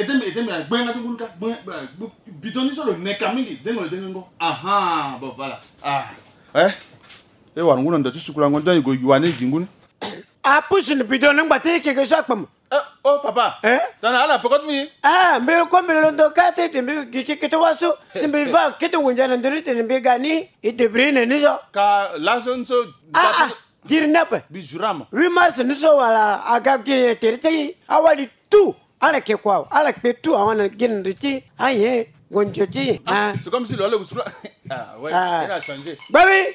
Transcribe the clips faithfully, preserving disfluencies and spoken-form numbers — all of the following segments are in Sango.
Ete mbi, ete mbi, gbenga ti ngun ka, gbe-, gbe-, bidon ni so lo neka mingi, dengo lo dengo ngo. Aha, bon, voilà. Ah. Eh? E wara ngu na ndo ti sukulango, ndo e gue yua ni e gi ngu ni. Apusu ni bidon ni ngba ti e keke so akpama. Eh, oh, papa. Eh? Tana ala pekot mi. Ah, mbi ko mbi londo ka ti tene mbi gi keke ti waso. Si mbi va kete ngunja na ndoni tene mbi ga ni, e débrouiller na ni so. Ka laso ni so. Ah, ah, diri ni ape. Mbi jura mo. Huit mars ni so wala aga gi ni tere ti awali tout. Ala ke kua, ala kpe tout awa na gi na ndo ti aye ngonjo ti. Ah, c'est comme si lo ala kusukula. Ah, ouais, il a changé. Babi.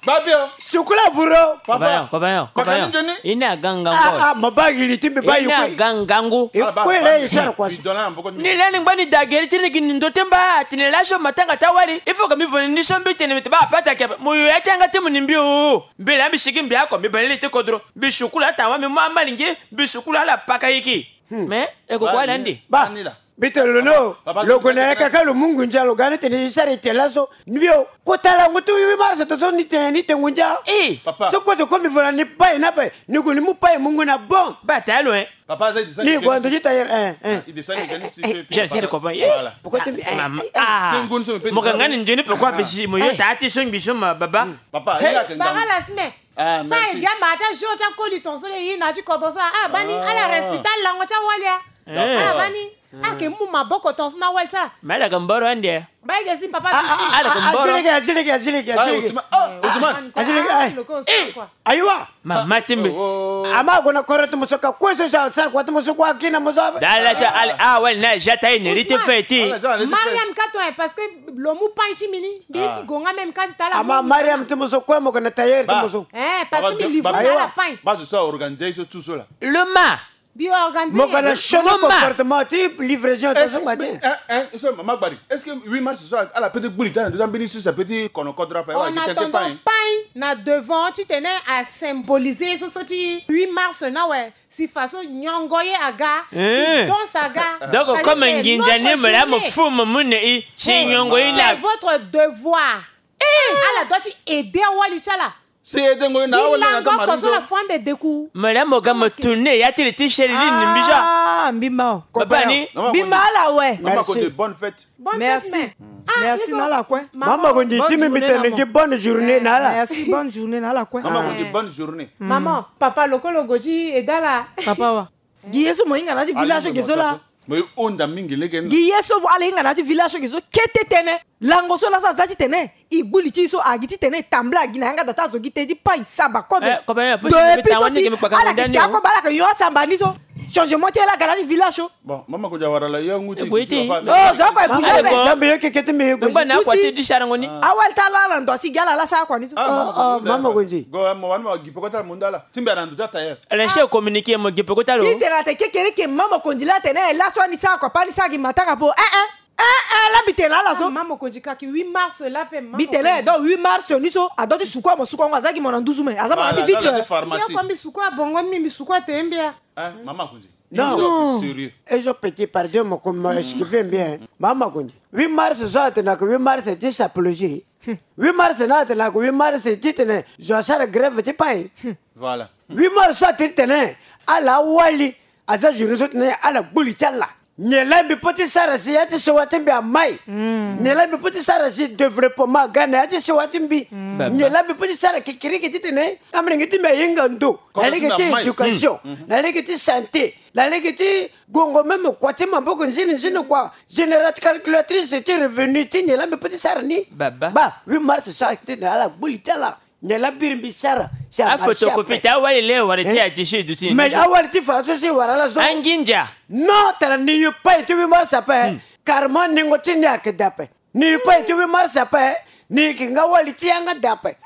Babio. Sukula vuro. Papa. Kobayo, kobayo, kobayo. Ini aga ngangu. Ah, ah, mo ba giri ti mbi ba. Ini aga ngangu. E kue la e sara kua so. Ni lani ngba ni da geri ti ni gi ni ndo ti mba, tene laso matanga ti awali. Il faut que mbi vo ni so mbi tene mbi te ba pata ke. Mo yo ya ti anga ti mo ni mbi o. Mbi la mbi sigi mbi ako, mbi bale li ti kodro. Mbi sukula ata wa mbi mu amalingi, mbi sukula ala paka yiki. Mais e ko kua la ndi. Ba. Mbi tene lo no, lo gue na yaka ka lo mu ngunja lo ga ni tene e sara e te laso. Ni bio, kota lango ti huit mars to so ni te, ni te ngunja. Eh. Papa. So kozo ko mbi vo na ni pai na pai, ni gue ni mu pai mu ngu na bon. Ba ta lo, eh. Papa, ça, il descend. Ni gue ndo ti tailleur, eh, eh. Il descend, il descend, tu fais. Voilà. Pourquoi tu me, eh, maman, eh, ah. Mo ka nga ni nzoni pe kua pe si mo yo ta ti so ngbi so ma baba. Papa, il a que bara la semaine. Ah, merci. Ta e dia ma ta jour ta koli ton so le yi na ti kodo sa. Ah, bani, ala respecter lango ta wali a. Ah, bani. Ake mu maboko ton so na wali ti ala. Mais ala yeke mboro ande. Ba yeke si papa. Ah, ah, ah, ala yeke mboro. Azileke, azileke, azileke, azileke. Ah, Ousmane. Ah, Ousmane. Azileke, ah. Loko, eh, quoi. Ayiwa. Mama ti mbi. Oh, oh. Ama gue na koro ti mo so ka kue so sa sara kua ti mo so kua kina mo so. Dala sa ala, ah, wali na ja ta ye ne li ti feti. Mariam ka ton, eh, parce que lo mu pain ti mbi ni. Mbi ti gonga même ka ti tala. Ama Mariam ti mo so kue mo gue na tailleur ti mo so. Eh, parce que mbi livre na ala pain. Ba zo so a organiser so tout cela. Le ma. Bi organiser. Mo ka na changement comportement ti livraison ti so ngba ti. Hein, hein, so mama Gbari. Est-ce que huit mars so ala peut ti gbuli ti ala na ndo ti ambeni so ça peut ti kono kodro ape? On attendant pain na devant ti tene a symboliser so so ti huit mars na awe. Si façon nyongo ye aga, si danse aga. Donc comme nginza ni mo la mo fu mo mu ne i, si nyongo ye la. C'est votre devoir. Ala doit ti aider awali ti ala. Si e dengo na awali na lango kozo la fande deku. Mele mo ga mo tourner ya ti li ti seri li ni mbi so. Ah, mbi ma o. Papa ni. Mbi ma ala we. Mama Konde, bonne fête. Bonne fête. Merci. Merci na ala kue. Mama Konde, ti mbi mbi tene gi bonne journée na ala. Merci, bonne journée na ala kue. Mama Konde, bonne journée. Maman, papa lokolo go ti e dala. Papa wa. Gi ye so mo hinga na ya ti village so ge so la. Mo ye honda mingi lege ni. Gi ye so ala hinga na ya ti village so ge so kete tënë. Lango so laso aza ti tene e gbu li ti e so, agi ti tene e tambula, agi na yanga da ti azo gi te ti pai samba kobe. Eh, kobe, eh, depuis so si ala ke ti akobe, ala ke yo asamba ni so. Changement ti ala ga na ya ti village so. Bon, mama ko dia wara la yo ngu ti. Oh, zo ko e bouger be. Zambe yo keke ti mbi yo ko. Ngba na kua ti di sara ngoni. Awali ti ala na ndo asi gi ala la sara kua ni so. Oh, mama ko nzi. Go mo wan mo gi poko ta munda la. Ti mbi ana ndo ta tailleur. Ala si communiquer mo gi poko ta lo. Ti tene ate kekereke mama ko nzi la tene laso ani sara kua pa ni sara gi matanga po. Eh, eh. Eh, eh, la mbi tene na ala so. Ah, mama Mokonzi kaki huit mars la pe mama Mokonzi. Mbi tene donc huit mars ni so adua ti sukua mo sukua ngo aza gi mo na nduzu me aza mo na ti vitre. Yo ko mbi sukua bongo ni mbi sukua te mbia. Eh, mama Mokonzi. Non. Sérieux. Et je petit pardon mo ko mo excuser bien. Mama Mokonzi. Huit mars so atene na ko huit mars ti sapologie. Huit mars na atene na ko huit mars ti tene zo asara grève ti pai. Voilà. Huit mars so atene tene ala wali. Aza journée so tene ala gbu li ti ala. Nyen la mbi peut ti sara si ya ti sewa ti mbi amai? Nyen la mbi peut ti sara si développement aga na ya ti sewa ti mbi? Nyen la mbi peut ti sara kekiriki ti tene amolenge ti mbi ahinga ndo na lege ti éducation, na lege ti santé, na lege ti gongo même kua ti maboko nzini nzini kua, générateur, calculatrice ti revenu ti nyen la mbi peut ti sara ni? Ba huit mars so atene ala gbu li ti ala. Nyen la biri mbi sara si amarché après. Afotokopi ti awali le wara ti ati si duti. Mais awali ti fa so si wara la so. Anginza. Non, tara ni yu pai ti huit mars ape. Carrément ningo ti ni ayeke dape. Ni yu pai ti huit mars ape. Ni yeke nga wali ti yanga dape.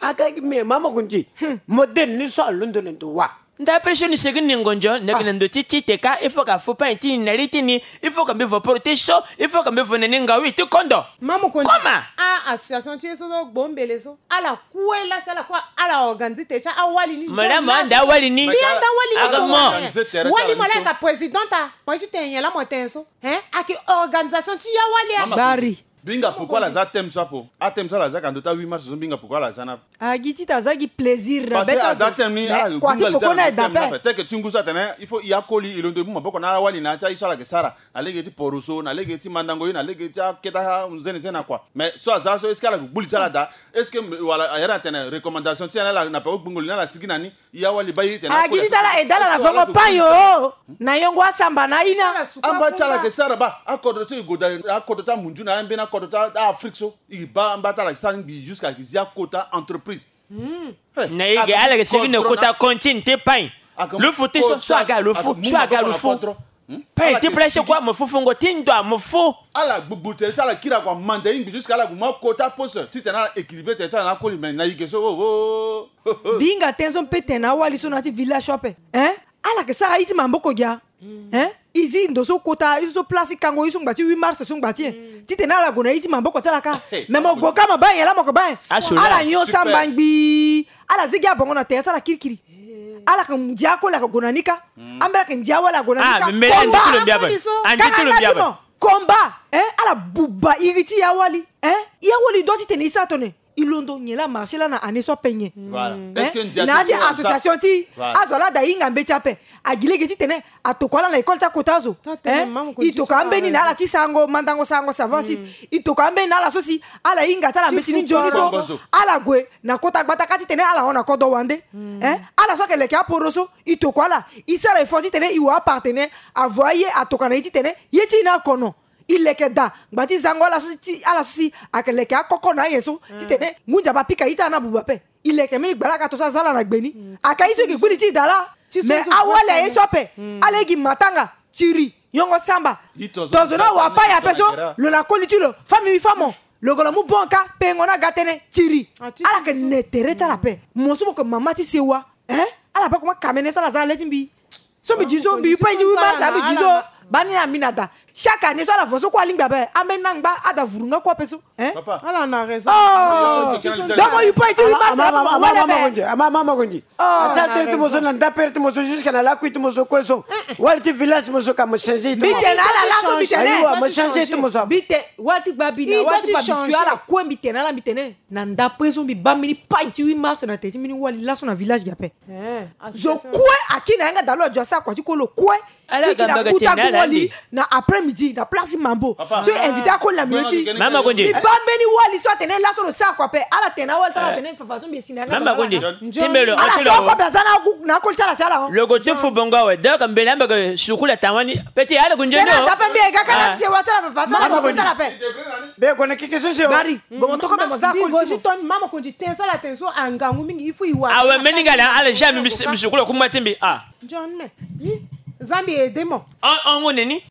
Aga gi me mama Mokonzi. Modèle ni so alondo na ndo wa. Nda après so ni segi ni ngonzo, na yeke na ndo ti ti te ka, il faut ka fu pain ti ni na li ti ni, il faut ka mbi vo poro ti so, il faut ka mbi vo na ni ngawi ti kondo. Mama Mokonzi. Comment? Ah, association ti ye so so gbo mbele so. Ala kue la si ala kue ala organiser te ti awali ni. Madame, anda awali ni. Mbi anda awali ni. Aga mo. Wali mo la ka présidente a. Mo ti tene nyen la mo tene so. Hein? Ayeke organisation ti ya wali a. Bari. Binga pourquoi ala za thème so apo? A thème so ala za ka ndo ti huit mars so, binga pourquoi ala za na? Agi ti ta za gi plaisir na beta zo. Parce que aza thème ni, ala kua ti poko na eda pe. Tel que ti ngu so atene il faut i akoli, i londo i mu maboko na ala wali na ya ti aye so ala yeke sara, na lege ti poroso, na lege ti mandango ye, na lege ti aketa nzene nzene na kua. Mais so aza so, est-ce que ala gue gbuli ti ala daa? Est-ce que wala ayere atene recommandation ti ala na peko gbungo li ni ala sigi na ni? Ya wali ba iri tene. Agi ti tala e dala na vongo payo na yongo asamba na ina. Amba ti ala yeke sara ba, akodro ti e go daa, akodro ti amunju na ambeni akodro ti Afrique so, e ba amba ti ala yeke sara ngbii jusqu'à e yeke zi akota entreprise. Na e ge ala yeke sigi na kota contine ti pain. Lo fu ti so, so aga lo fu, so aga lo fu. Pain ti place kua mo fu, fungo ti ndo mo fu. Ala gbugbu tere ti ala kiri akua manda e ngbii jusqu'à ala gue mu akota poste titene ala équilibré tere ti ala na akoli, mais na e ge so, oh, oh, oh. Binga ten so mpe tene na awali so na ya ti village so ape. Hein? Ala yeke sara ye ti maboko gi a. Hein? E zi ndo so kota ye so, place ti kango ye so ngba ti huit mars so ngba ti e. Titene ala gue na ye ti maboko ti ala kâ. Mais mo gue kâ, mo baa nyen laa mo yeke baa nyen? Ala nyon samba ngbii. Ala zi gi abongo na tere ti ala kirikiri. Ala yeke ndia akoli, ala yeke gue na ni kâ. Ambeni ala yeke ndia awali, ala gue na ni kâ. Combat. Combat. Hein? Ala buba iri ti ya wali. Hein? Ya wali doit titene e sara tone. E londo nyen laa marché laa na année so ape nyen? Voilà. Hein? Est-ce que ndia ti na ya ti association ti e, azo laa daa e hinga mbeti ape. Agi lege titene atokua ala na école ti akota azo. Hein? E tokua ambeni na ala ti sarango mandango, sarango savon si. E tokua ambeni na ala so si ala hinga ti ala mbeti ni nzoni so. Ala gue na kota gbata kâ titene ala hon na kodro wande. Hein? Ala so ayeke leke aporo so, e tokua ala. E sara effort titene e wa apartenaire, avoa ye atokua na e titene ye ti e ni akono. E leke daa ngba ti zango ala so si, ala so si ayeke leke akoko na aye so, titene ngu nzapa apika ye ti ala ni abuba ape. E leke mbeni gbalaka to so aza ala na gbe ni. Ayeke ye so e yeke gbuli ti e daa laa. Mais awali aye so ape. Ala ye gi matanga, tiri, yongo samba. Tonzo ni awa pain ape so, lo na koli ti lo, femme mi femme. Lo gue lo mu bon kâ, pengo ni aga tënë, tiri. Ala yeke ne tere ti ala ape. Mo so mo yeke mama ti sewa. Hein? Ala baa koma kamene so ala za na le ti mbi. So mbi di so, mbi yu pain ti huit mars, mbi di so. Baa ni na mbi na da. Chaque année so ala vo so kue alingbi ape. Ambeni angba ada vuru nga kue ape so. Hein? Papa. Ala na raison. Oh. Donc mo yu pain ti huit mars, ama ama konzi. Ama ama konzi. Oh. Asara tere ti mo so na ndapere ti mo so jusqu'à na lakui ti mo so kue so. Wali ti village ti mo so ka mo changer ti mo. Mbi tene na ala laso, mbi tene. Ayiwa, mo changer ti mo so. Mbi tene wali ti gba mbi na wali ti gba biscuit, ala kue mbi tene na ala, mbi tene. Na ndapre so mbi baa mbeni pain ti huit mars na tere ti mbeni wali laso na village gi ape. Zo kue aki na yanga daa lo adio asara kua ti kue lo kue. Ala ga mbaga ti na ala wali na après midi na place Mambo. So invité akoli na mio ti. Mama Konde. Mbi baa mbeni wali so atene laso lo sara kua ape. Ala tene na wali ti ala atene fafa so mbi esi na yanga daa. Mama Konde. Timbelo. Ala toko mbi aza na akoli ti ala si ala. Lo go ti fu bongo awe. Donc mbele ambaga sukula tawani. Petit, ala gunjendo. Tena tape mbi ega kana se wa tala fa tala ko tala pe. Be ko na keke so se o. Gari, go mo toko be mo za ko si ton mama ko ti ten sala ten so angangu mingi ifu iwa. Awe meni ngala ala jamais mi sukula kuma timbi. Ah. John me. Zambi aide mo. On on nini?